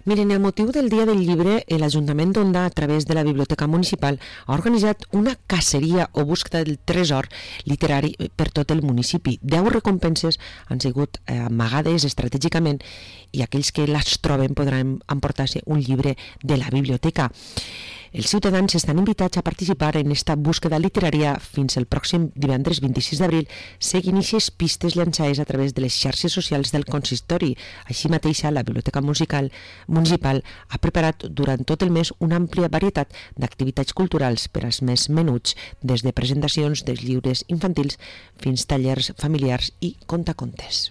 Miren, el motiu del Dia del Llibre, l'Ajuntament d'Onda, a través de la Biblioteca Municipal, ha organitzat una caceria o búsqueda del tresor literari per tot el municipi. 10 recompenses han sigut amagades estratègicament i aquells que les troben podran emportar-se un llibre de la biblioteca. Els ciutadans estan invitats a participar en esta búsqueda literària fins el pròxim divendres 26 d'abril, seguint aquestes pistes llançades a través de les xarxes socials del consistori. Així mateixa, la Biblioteca Municipal ha preparat durant tot el mes una àmplia varietat d'activitats culturals per als més menuts, des de presentacions dels llibres infantils fins tallers familiars i contacontes.